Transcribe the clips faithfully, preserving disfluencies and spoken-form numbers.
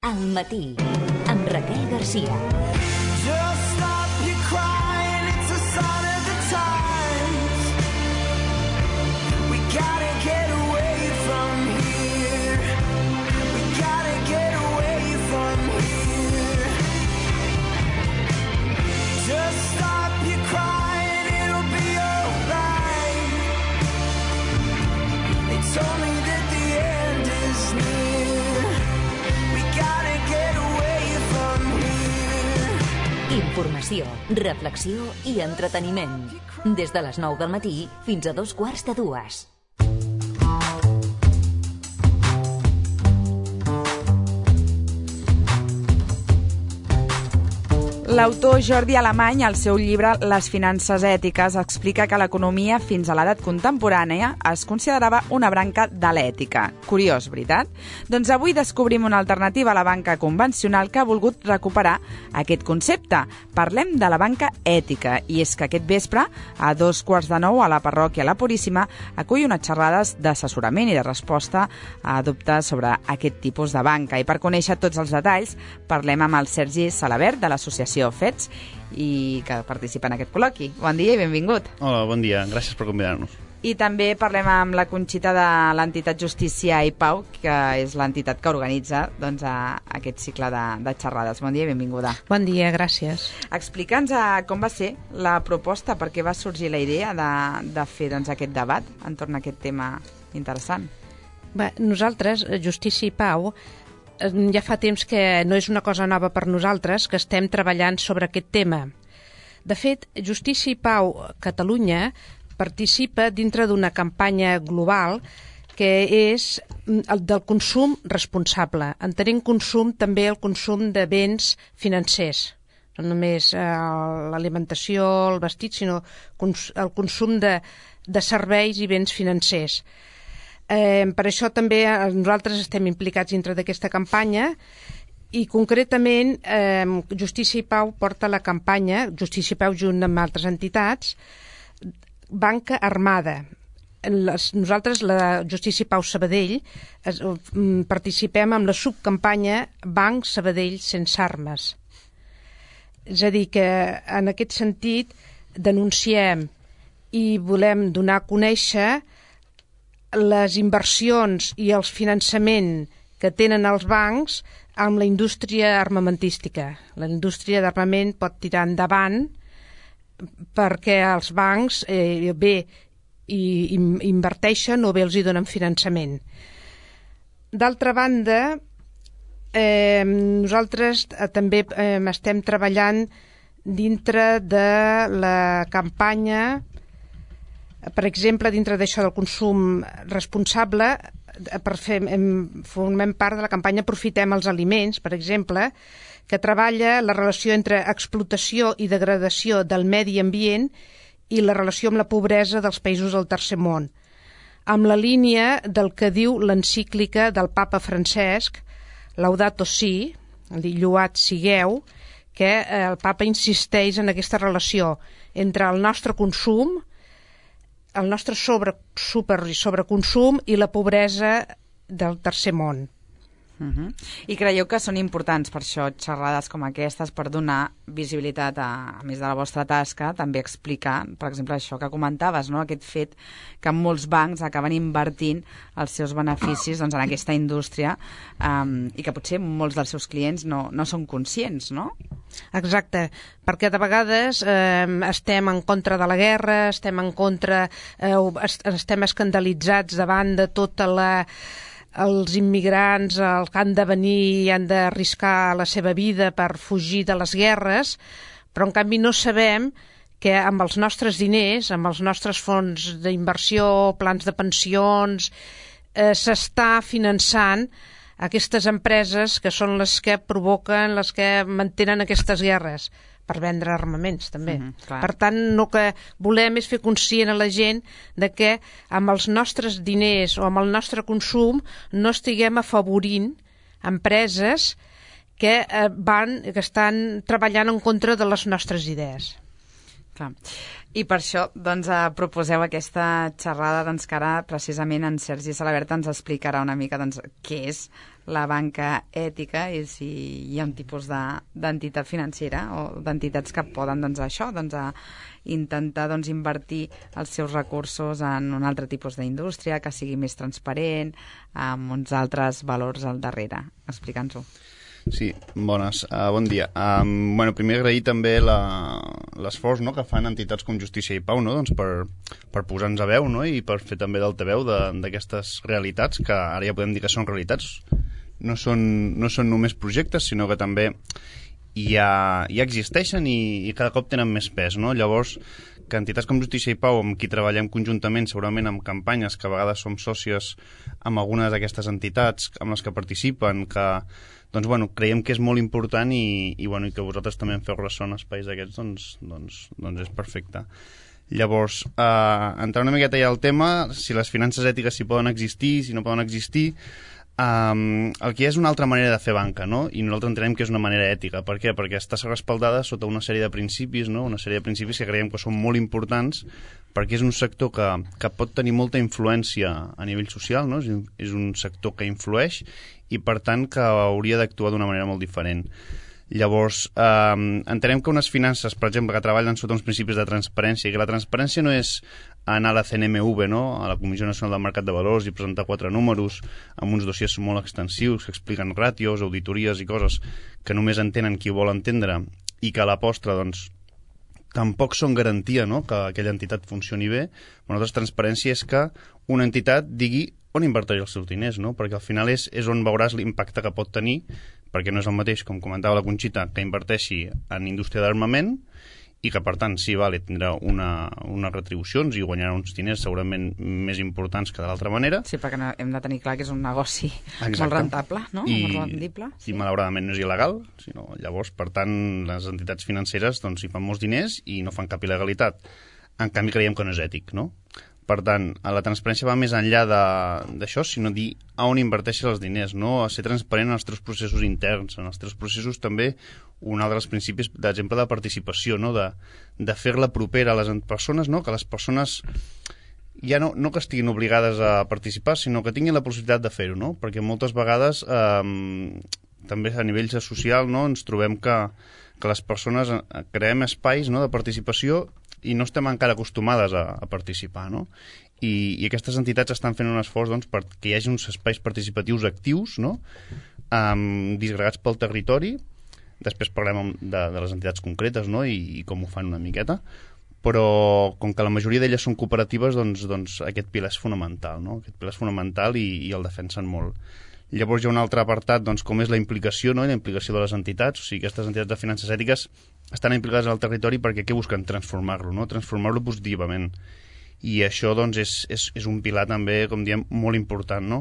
Al matí, amb Raquel Garcia. Just stop your crying, it's a sign of the times. We gotta get away from here. We gotta get away from here. Just stop your crying, it'll be alright. It's only that the end is near. We gotta get away from here. Informació, reflexió i entreteniment. Des de les nou del matí fins a dos quarts de dues. L'autor Jordi Alemany, al seu llibre Les finances ètiques, explica que l'economia fins a l'edat contemporània es considerava una branca de l'ètica. Curiós, veritat? Doncs avui descobrim una alternativa a la banca convencional que ha volgut recuperar aquest concepte. Parlem de la banca ètica, i és que aquest vespre, a dos quarts de nou, a la parròquia La Puríssima, acull unes xerrades d'assessorament i de resposta a dubtes sobre aquest tipus de banca. I per conèixer tots els detalls, parlem amb el Sergi Salabert, de l'associació Fets, i que participa en aquest col·loqui. Bon dia i benvingut. Hola, bon dia. Gràcies per convidar-nos. I també parlem amb la Conxita de l'entitat Justícia i Pau, que és l'entitat que organitza doncs, a aquest cicle de, de xerrades. Bon dia i benvinguda. Bon dia, gràcies. Explica'ns com va ser la proposta, per què va sorgir la idea de, de fer doncs, aquest debat entorn a aquest tema interessant. Bé, nosaltres, Justícia i Pau, ja fa temps que no és una cosa nova per nosaltres, que estem treballant sobre aquest tema. De fet, Justícia i Pau Catalunya participa dintre d'una campanya global que és el del consum responsable. Entenent consum també el consum de béns financers. No només eh, l'alimentació, el vestit, sinó cons- el consum de, de serveis i béns financers. Eh, per això també nosaltres estem implicats dintre d'aquesta campanya i concretament eh, Justícia i Pau porta la campanya, Justícia i Pau junt amb altres entitats, Banca Armada. Les, nosaltres, la Justícia i Pau Sabadell, es, participem amb la subcampanya Banc Sabadell sense armes. És a dir, que en aquest sentit denunciem i volem donar a conèixer les inversions i el finançament que tenen els bancs amb la indústria armamentística. La indústria d'armament pot tirar endavant perquè els bancs eh, bé i, i inverteixen o bé els hi donen finançament. D'altra banda, eh, nosaltres eh, també eh, estem treballant dintre de la campanya. Per exemple, dintre d'això del consum responsable, per fer, formem part de la campanya Aprofitem els aliments, per exemple, que treballa la relació entre explotació i degradació del medi ambient i la relació amb la pobresa dels països del tercer món, amb la línia del que diu l'encíclica del papa Francesc, Laudato Si, Lloat sigueu, que el papa insisteix en aquesta relació entre el nostre consum, el nostre sobre, super i sobreconsum i la pobresa del tercer món. Uh-huh. I creieu que són importants per això xerrades com aquestes per donar visibilitat a, a més de la vostra tasca, també explicar, per exemple, això que comentaves, no? Aquest fet que molts bancs acaben invertint els seus beneficis doncs, en aquesta indústria um, i que potser molts dels seus clients no, no són conscients, no? Exacte, perquè de vegades eh, estem en contra de la guerra, estem en contra, eh, estem escandalitzats davant de tota la els immigrants els que han de venir i han d'arriscar la seva vida per fugir de les guerres, però en canvi no sabem que amb els nostres diners, amb els nostres fons d'inversió, plans de pensions, eh, s'està finançant aquestes empreses que són les que provoquen, les que mantenen aquestes guerres, per vendre armaments també. Mm-hmm, per tant, el que volem és fer conscient a la gent de que amb els nostres diners o amb el nostre consum no estiguem afavorint empreses que, eh, van, que estan treballant en contra de les nostres idees. Clar. I per això doncs, eh, proposeu aquesta xerrada doncs, que ara precisament en Sergi Salaberta ens explicarà una mica doncs, què és la banca ètica i si hi ha un tipus d'entitat de, financera o d'entitats que poden doncs, això, doncs, a intentar doncs, invertir els seus recursos en un altre tipus d'indústria que sigui més transparent, amb uns altres valors al darrere. Explica'ns-ho. Sí, bones. Uh, bon dia. Um, bueno, primer agrair també l'esforç no, que fan entitats com Justícia i Pau no, doncs per, per posar-nos a veu no, i per fer també d'altaveu d'aquestes realitats que ara ja podem dir que són realitats. No són, no són només projectes, sinó que també ja, ja existeixen i, i cada cop tenen més pes. No? Llavors, que entitats com Justícia i Pau, amb qui treballem conjuntament, segurament amb campanyes, que a vegades som sòcies amb algunes d'aquestes entitats amb les que participen, que doncs, bueno, creiem que és molt important i, i, bueno, i que vosaltres també en feu ressò en espais d'aquests, doncs, doncs, doncs és perfecte. Llavors, eh, entrar una miqueta ja al tema, si les finances ètiques si poden existir, si no poden existir, Um, el que hi ha és una altra manera de fer banca, no? I nosaltres entenem que és una manera ètica. Per què? Perquè està respaldada sota una sèrie de principis, no? Una sèrie de principis que creiem que són molt importants perquè és un sector que, que pot tenir molta influència a nivell social, no? És, és un sector que influeix i, per tant, que hauria d'actuar d'una manera molt diferent. Llavors, eh, entenem que unes finances, per exemple, que treballen sota uns principis de transparència, i que la transparència no és anar a la C N M V, no? A la Comissió Nacional del Mercat de Valors, i presentar quatre números amb uns dossiers molt extensius que expliquen ràtios, auditories i coses que només entenen qui vol entendre i que a la postre, doncs, tampoc són garantia, no?, que aquella entitat funcioni bé. Una altra transparència és que una entitat digui on invertirà els seus diners, no? Perquè al final és, és on veuràs l'impacte que pot tenir, perquè no és el mateix, com comentava la Conxita, que inverteixi en indústria d'armament i que, per tant, sí, vale, tindrà una, unes retribucions i guanyarà uns diners segurament més importants que de l'altra manera. Sí, perquè no, hem de tenir clar que és un negoci Exacte. Molt rentable, no? I, molt rendible. Sí. I malauradament no és il·legal, sinó, llavors, per tant, les entitats financeres doncs, hi fan molts diners i no fan cap il·legalitat. En canvi, creiem que no és ètic, no? Per tant, la transparència va més enllà d'això, sinó dir a on inverteixes els diners, no? A ser transparent en els teus processos interns, en els teus processos també, un altre dels principis, d'exemple, de participació, no? De, de fer-la propera a les persones, no? Que les persones ja no, no que estiguin obligades a participar, sinó que tinguin la possibilitat de fer-ho, no? Perquè moltes vegades, eh, també a nivell social, no? Ens trobem que, que les persones creem espais, no? De participació i no estem encara acostumades a, a participar, no? I, i aquestes entitats estan fent un esforç doncs, perquè hi hagi uns espais participatius actius, no? Um, disgregats pel territori. Després parlem de, de les entitats concretes, no? I, i com ho fan una miqueta, però com que la majoria d'elles són cooperatives, doncs, doncs aquest pilar és fonamental, no? Aquest pilar és fonamental i, i el defensen molt. Llavors hi ha un altre apartat, doncs, com és la implicació, no? I la implicació de les entitats. O sigui, aquestes entitats de finances ètiques estan implicades al territori perquè què busquen? Transformar-lo, no? Transformar-lo positivament. I això, doncs, és, és, és un pilar també, com diem, molt important, no?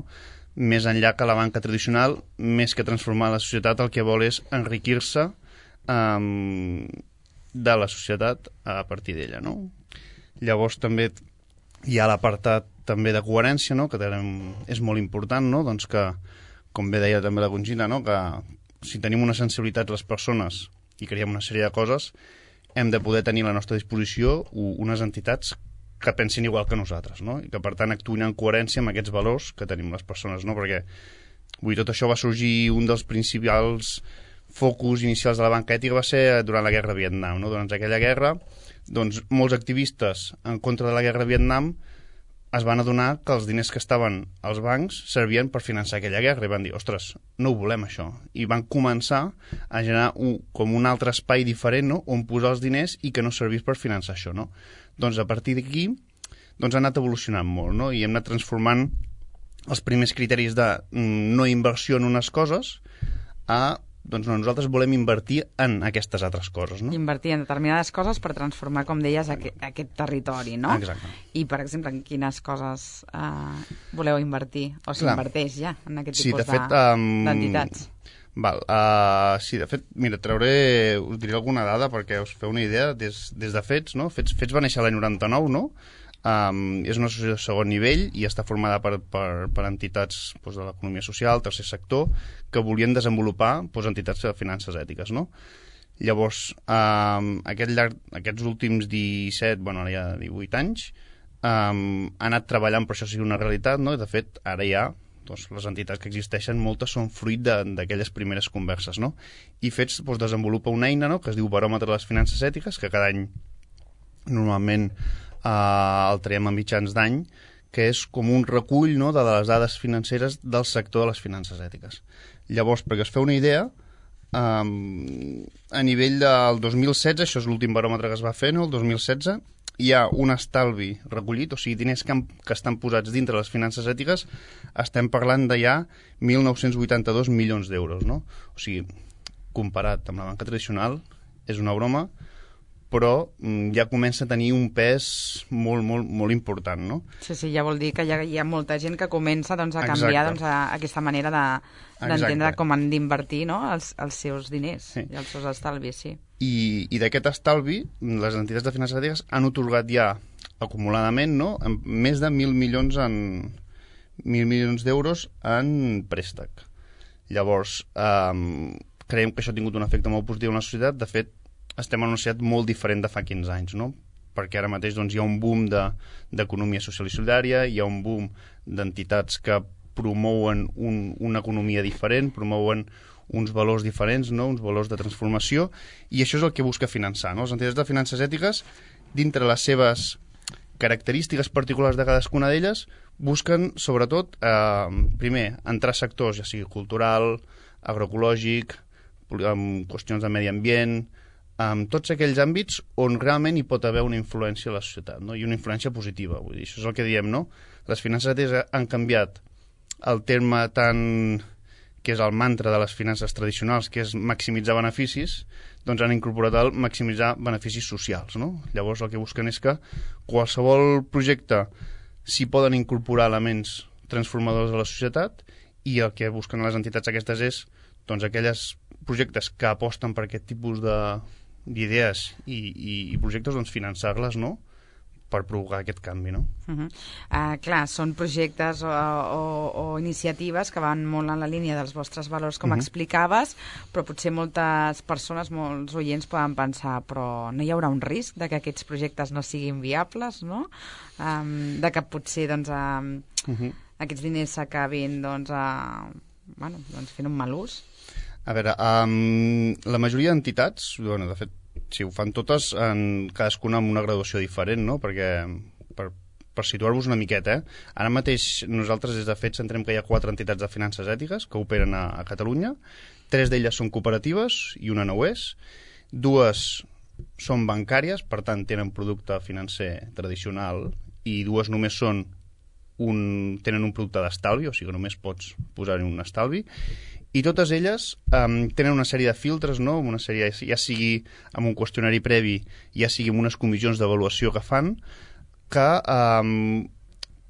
Més enllà que la banca tradicional, més que transformar la societat, el que vol és enriquir-se um, de la societat a partir d'ella, no? Llavors també hi ha l'apartat també de coherència, no? Que tenim, és molt important, no? Doncs que, com bé deia també la Conxita, no? Que si tenim una sensibilitat les persones i creiem una sèrie de coses, hem de poder tenir a la nostra disposició unes entitats que pensin igual que nosaltres, no? I que, per tant, actuïn en coherència amb aquests valors que tenim les persones, no? Perquè, vull dir, tot això va sorgir, un dels principals focus inicials de la banca ètica va ser durant la guerra de Vietnam, no? Durant aquella guerra, doncs, molts activistes en contra de la guerra de Vietnam es van adonar que els diners que estaven als bancs servien per finançar aquella guerra i van dir, ostres, no ho volem això. I van començar a generar un, com un altre espai diferent, no? On posar els diners i que no servís per finançar això, no? Doncs a partir d'aquí doncs ha anat evolucionant molt, no? I hem anat transformant els primers criteris de no inversió en unes coses a doncs no, nosaltres volem invertir en aquestes altres coses, no? Invertir en determinades coses per transformar, com deies, aquest, aquest territori, no? Exacte. I, per exemple, en quines coses eh, voleu invertir? O s'inverteix ja en aquest sí, tipus de fet, um, d'entitats? Val, uh, sí, de fet, mira, trauré, us diré alguna dada perquè us feu una idea des, des de Fets, no? Fets, Fets va néixer l'any noranta-nou, no? Um, és una associació de segon nivell i està formada per, per, per entitats doncs, de l'economia social, tercer sector, que volien desenvolupar doncs, entitats de finances ètiques, no? Llavors, um, aquest llarg, aquests últims disset, bueno, ara ja divuit anys, um, ha anat treballant per això sigui una realitat, no? I de fet, ara ja doncs, les entitats que existeixen, moltes són fruit d'aquelles primeres converses, no? I Fets doncs, desenvolupa una eina, no?, que es diu Baròmetre de les Finances Ètiques, que cada any normalment eh, el traiem a mitjans d'any, que és com un recull, no?, de les dades financeres del sector de les finances ètiques. Llavors, perquè es feu una idea, Um, a nivell del dos mil setze, això és l'últim baròmetre que es va fer, no? El dos mil setze, hi ha un estalvi recollit, o sigui, diners que, han, que estan posats dintre les finances ètiques, estem parlant de ja mil nou-cents vuitanta-dos milions d'euros, no? O sigui, comparat amb la banca tradicional, és una broma, però mm, ja comença a tenir un pes molt, molt, molt important, no? Sí, sí, ja vol dir que hi ha, hi ha molta gent que comença doncs, a canviar doncs, a, a aquesta manera de, d'entendre com han d'invertir, no?, els, els seus diners, sí, i els seus estalvis, sí. I, i d'aquest estalvi, les entitats de finances ètiques han otorgat ja acumuladament, no?, més de mil milions en mil milions d'euros en préstec. Llavors, eh, creiem que això ha tingut un efecte molt positiu en la societat. De fet, estem en una societat molt diferent de fa quinze anys, no? Perquè ara mateix doncs, hi ha un boom d'economia de, social i solidària, hi ha un boom d'entitats que promouen un, una economia diferent, promouen uns valors diferents, no? Uns valors de transformació, i això és el que busca finançar, no? Les entitats de finances ètiques, dintre les seves característiques particulars de cadascuna d'elles, busquen, sobretot, eh, primer, entrar a sectors, ja sigui cultural, agroecològic, amb qüestions de medi ambient, amb tots aquells àmbits on realment hi pot haver una influència a la societat, no? I una influència positiva. Vull dir, això és el que diem, no? Les finances ètiques han canviat el terme tan que és el mantra de les finances tradicionals, que és maximitzar beneficis, doncs han incorporat el maximitzar beneficis socials, no? Llavors el que busquen és que qualsevol projecte s'hi poden incorporar elements transformadors de la societat, i el que busquen les entitats aquestes és doncs aquelles projectes que aposten per aquest tipus de d'idees i, i, i projectes, doncs finançar-les, no?, per provocar aquest canvi, no? Uh-huh. Uh, clar, són projectes o, o, o iniciatives que van molt en la línia dels vostres valors, com uh-huh. explicaves, però potser moltes persones, molts oients poden pensar, però no hi haurà un risc de que aquests projectes no siguin viables, no? Um, de que potser doncs, um, uh-huh. aquests diners s'acabin doncs, uh, bueno, doncs fent un mal ús? A veure, um, la majoria d'entitats, bueno, de fet, si ho fan totes, en cadascuna amb una graduació diferent, no? Perquè, per, per situar-vos una miqueta, eh? Ara mateix nosaltres des de Fets entrem que hi ha quatre entitats de finances ètiques que operen a, a Catalunya. Tres d'elles són cooperatives i una no ho és. Dues són bancàries, per tant tenen producte financer tradicional, i dues només són un, tenen un producte d'estalvi, o sigui que només pots posar-hi un estalvi. I totes elles um, tenen una sèrie de filtres, no? Una sèrie, ja sigui amb un qüestionari previ, ja sigui amb unes comissions d'avaluació que fan, que, um,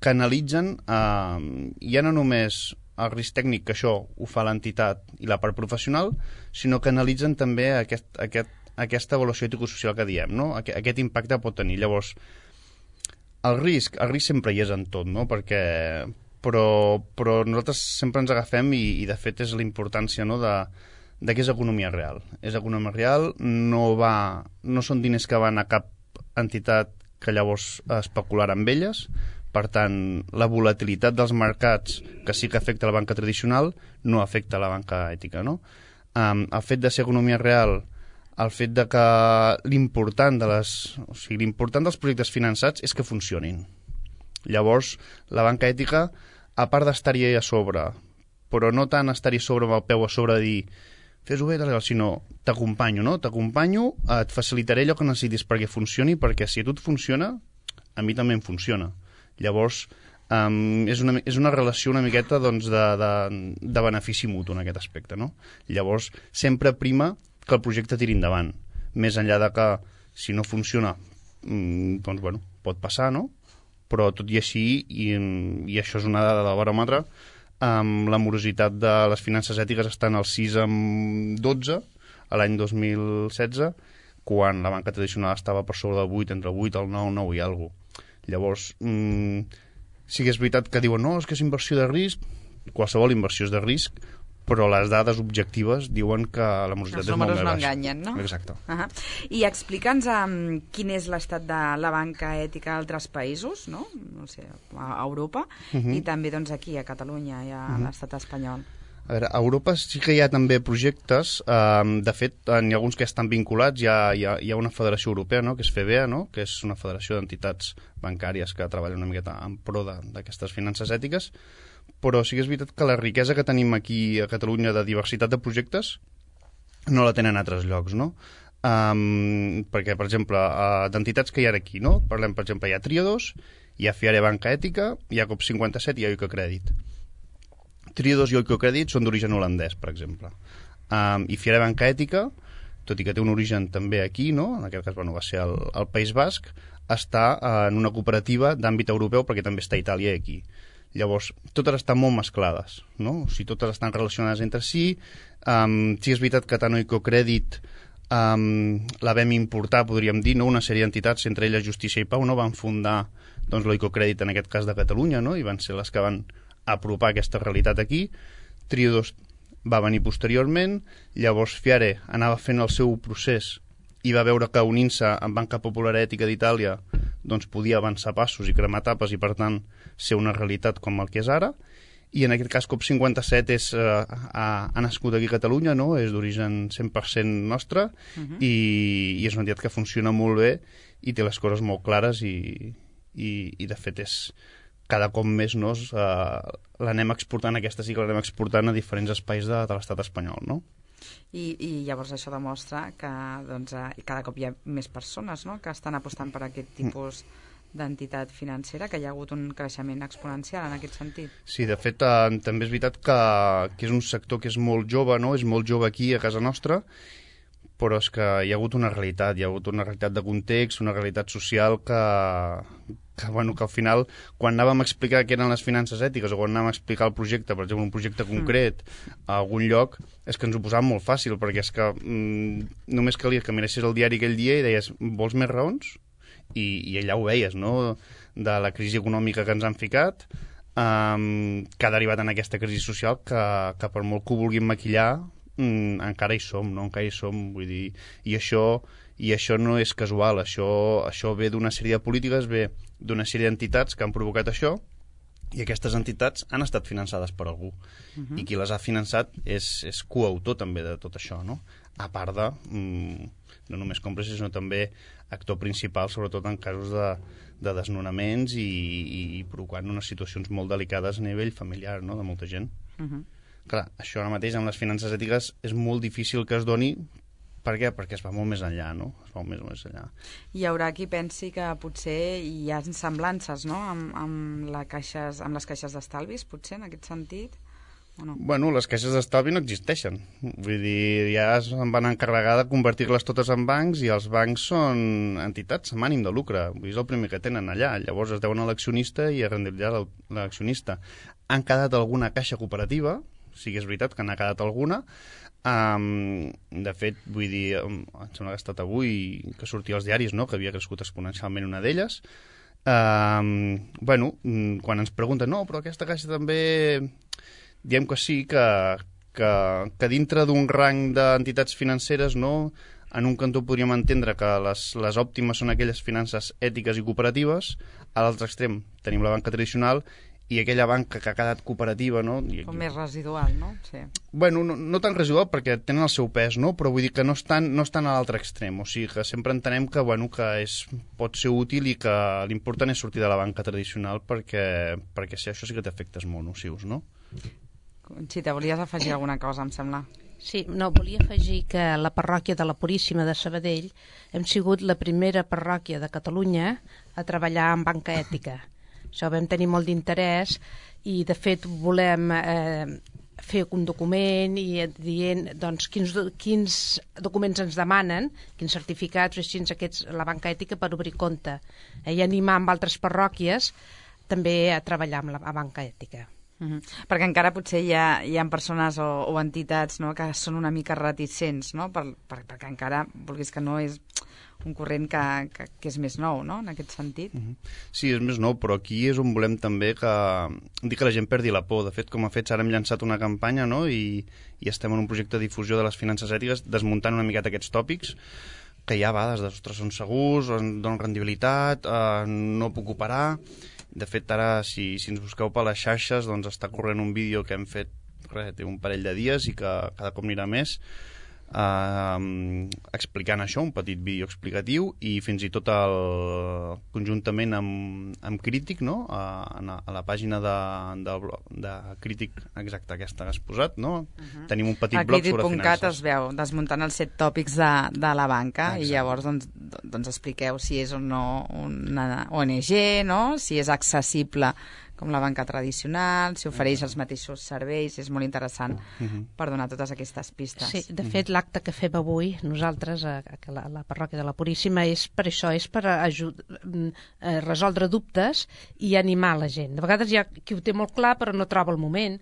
que analitzen um, ja no només el risc tècnic, que això ho fa l'entitat i la part professional, sinó que analitzen també aquest, aquest, aquesta avaluació ético-social que diem, no? Aquest, aquest impacte pot tenir. Llavors, el risc, el risc sempre hi és en tot, no? Perquè... Però, però nosaltres sempre ens agafem i, i de fet és la importància, no, de, de que és economia real. És economia real, no, va, no són diners que van a cap entitat que llavors especular amb elles. Per tant, la volatilitat dels mercats, que sí que afecta la banca tradicional, no afecta la banca ètica, no? Um, el fet de ser economia real, el fet de que l'important de les, o sigui, l'important dels projectes finançats és que funcionin. Llavors, la banca ètica, a part d'estar-hi a sobre, però no tant estar-hi sobre amb el peu a sobre de dir fes-ho bé, sinó t'acompanyo, no? T'acompanyo, et facilitaré allò que necessitis perquè funcioni, perquè si a tu et funciona, a mi també em funciona. Llavors, um, és, una, és una relació una miqueta doncs, de, de, de benefici mutu en aquest aspecte, no? Llavors, sempre prima que el projecte tiri endavant. Més enllà de que, si no funciona, mm, doncs, bueno, pot passar, no? Però tot i així, i, i això és una dada del baròmetre, um, la morositat de les finances ètiques està en el sis amb dotze, a l'any dos mil setze, quan la banca tradicional estava per sobre del vuit, entre el vuit, el nou, nou i alguna cosa. Llavors, um, sí que és veritat que diuen no, és que és inversió de risc, qualsevol inversió és de risc, però les dades objectives diuen que la morositat Els és molt números més no baixa. enganyen, no? Exacte. Uh -huh. I explica'ns um, quin és l'estat de la banca ètica a altres països, no? No sé, a Europa, uh -huh. i també doncs, aquí a Catalunya i a uh -huh. l'estat espanyol. A veure, a Europa sí que hi ha també projectes, eh, de fet, n'hi ha alguns que estan vinculats, hi ha, hi ha, hi ha una federació europea, no?, que és FEBEA, no?, que és una federació d'entitats bancàries que treballa una miqueta en pro d'aquestes finances ètiques, però sí que és veritat que la riquesa que tenim aquí a Catalunya de diversitat de projectes no la tenen a altres llocs, no? Um, perquè, per exemple, uh, d'entitats que hi ha aquí, no? Parlem, per exemple, hi ha Triodos, hi ha Fiare Banca Ètica, hi ha COP cinquanta-set i hi ha Oikocredit. Triodos i Oikocredit són d'origen holandès, per exemple. Um, I Fiare Banca Ètica, tot i que té un origen també aquí, no? En aquest cas, bueno, va ser el, el País Basc, està uh, en una cooperativa d'àmbit europeu perquè també està a Itàlia i aquí. Llavors, totes estan molt mesclades, no? O sigui, totes estan relacionades entre si. Um, sí és veritat que tant Oikocredit um, la vam importar, podríem dir, no? Una sèrie d'entitats, entre elles Justícia i Pau, no? Van fundar doncs, l'Oikocredit en aquest cas de Catalunya, no? I van ser les que van apropar aquesta realitat aquí. Triodos va venir posteriorment, llavors Fiare anava fent el seu procés i va veure que unint-se amb Banca Popular Ètica d'Itàlia doncs podia avançar passos i cremar tapes i per tant ser una realitat com el que és ara, i en aquest cas COP cinquanta-set és, eh, ha, ha nascut aquí a Catalunya, no? És d'origen cent per cent nostre, uh-huh. i, i és una entitat que funciona molt bé i té les coses molt clares i, i, i de fet és cada cop més no, uh, l'anem exportant, aquesta sí que l'anem exportant a diferents espais de, de l'estat espanyol, no? I, i llavors això demostra que doncs, eh, cada cop hi ha més persones, no?, que estan apostant per aquest tipus d'entitat financera, que hi ha hagut un creixement exponencial en aquest sentit. Sí, de fet, eh, també és veritat que, que és un sector que és molt jove, no? És molt jove aquí a casa nostra, però és que hi ha hagut una realitat, hi ha hagut una realitat de context, una realitat social que, que, bueno, que al final, quan anàvem a explicar què eren les finances ètiques o quan anàvem a explicar el projecte, per exemple, un projecte concret a algun lloc, és que ens ho posàvem molt fàcil, perquè és que mm, només calia que miressis el diari aquell dia i deies, vols més raons? I, i allà ho veies, no?, de la crisi econòmica que ens han ficat, um, que ha derivat en aquesta crisi social que, que per molt que ho vulguin maquillar, mm, encara hi som, no? Encara hi som, vull dir, i això, i això no és casual, això, això ve d'una sèrie de polítiques, ve d'una sèrie d'entitats que han provocat això, i aquestes entitats han estat finançades per algú. Uh-huh. I qui les ha finançat és, és coautor també de tot això, no? A part de, mm, no només còmplice, sinó també actor principal, sobretot en casos de, de desnonaments i, i, i provocant unes situacions molt delicades a nivell familiar, no?, de molta gent. Uh-huh. Clar, això ara mateix amb les finances ètiques és molt difícil que es doni. Per què? Perquè es va molt més enllà, no? Es va molt més, més enllà. Hi haurà qui pensi que potser hi ha semblances, no?, amb, amb, la caixes, amb les caixes d'estalvis, potser, en aquest sentit, o no? Bueno, les caixes d'estalvi no existeixen. Vull dir, ja es van encarregar de convertir-les totes en bancs i els bancs són entitats amb ànim de lucre. Vull dir, és el primer que tenen allà. Llavors es deuen a l'accionista i a rendibilitzar l'accionista. Han quedat alguna caixa cooperativa, sí que és veritat que n'ha quedat alguna. Um, de fet, vull dir, em sembla que ha estat avui que sortia als diaris, no?, que havia crescut exponencialment una d'elles. Um, bueno, quan ens pregunten, no, però aquesta caixa també... Diem que sí, que, que, que dintre d'un rang d'entitats financeres, no, en un cantó podríem entendre que les, les òptimes són aquelles finances ètiques i cooperatives, a l'altre extrem tenim la banca tradicional i aquella banca que ha quedat cooperativa, no? I, com més residual, no? Sí. Bueno, no, no tan residual perquè tenen el seu pes, no? Però vull dir que no estan, no estan a l'altre extrem, o sigui que sempre entenem que, bueno, que és, pot ser útil i que l'important és sortir de la banca tradicional perquè, perquè si això sí que té efectes molt nocius, no? Conxita, volies afegir alguna cosa, em sembla? Sí, no, volia afegir que la parròquia de la Puríssima de Sabadell hem sigut la primera parròquia de Catalunya a treballar en banca ètica. Això vam tenir molt d'interès i, de fet, volem eh, fer un document i dient doncs, quins, quins documents ens demanen, quins certificats o així aquests, la banca ètica per obrir compte, eh, i animar amb altres parròquies també a treballar amb la a banca ètica. Mm-hmm. Perquè encara potser hi ha, hi ha persones o, o entitats, no?, que són una mica reticents, no?, per, per, perquè encara, vulguis que no, és un corrent que, que, que és més nou, no?, en aquest sentit. Mm-hmm. Sí, és més nou, però aquí és on volem també que, dir que la gent perdi la por. De fet, com a fets, ara hem llançat una campanya, no?, i, i estem en un projecte de difusió de les finances ètiques, desmuntant una miqueta aquests tòpics, que hi ha vegades de, ostres, són segurs, donen rendibilitat, eh, no puc operar. De fet, ara, si, si ens busqueu per les xarxes, doncs està corrent un vídeo que hem fet, res, té un parell de dies i que cada cop anirà més, eh, explicant això, un petit vídeo explicatiu, i fins i tot el, conjuntament amb, amb Crític, no?, a, a la pàgina de, de, de Crític, exacte, aquesta que has posat, no? Uh-huh. Tenim un petit blog sobre finances. A Crític punt cat es veu, desmuntant els set tòpics de, de la banca. Exacte. I llavors doncs, doncs expliqueu si és o no una O N G, no?, si és accessible com la banca tradicional, si ofereix els mateixos serveis. És molt interessant uh-huh. per donar totes aquestes pistes. Sí, de fet, l'acte que fem avui, nosaltres, a, a la, a la parròquia de la Puríssima, és per això, és per ajud, a resoldre dubtes i animar la gent. De vegades hi ha qui ho té molt clar, però no troba el moment,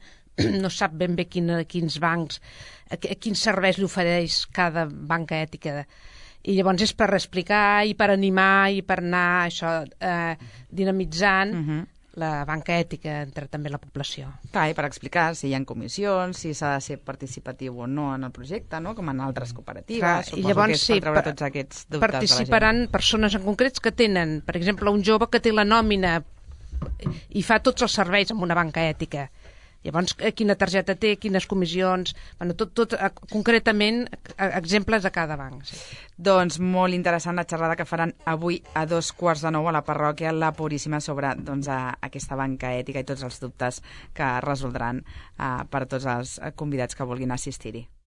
no sap ben bé quin, quins bancs, a, a quins serveis li ofereix cada banca ètica. I llavors és per explicar i per animar i per anar això, eh, dinamitzant uh-huh. la banca ètica entre també la població. Clar, i per explicar si hi ha comissions, si s'ha de ser participatiu o no en el projecte, no?, com en altres cooperatives. Clar, suposo i llavors, que és per treure sí, tots aquests dubtes de la gent. Participaran persones en concrets que tenen, per exemple, un jove que té la nòmina i fa tots els serveis amb una banca ètica. Llavors, quina targeta té, quines comissions... Bueno, tot, tot concretament, exemples de cada banc. Sí. Doncs molt interessant la xerrada que faran avui a dos quarts de nou a la parròquia La Puríssima sobre doncs, a, aquesta banca ètica i tots els dubtes que resoldran uh, per tots els convidats que vulguin assistir-hi.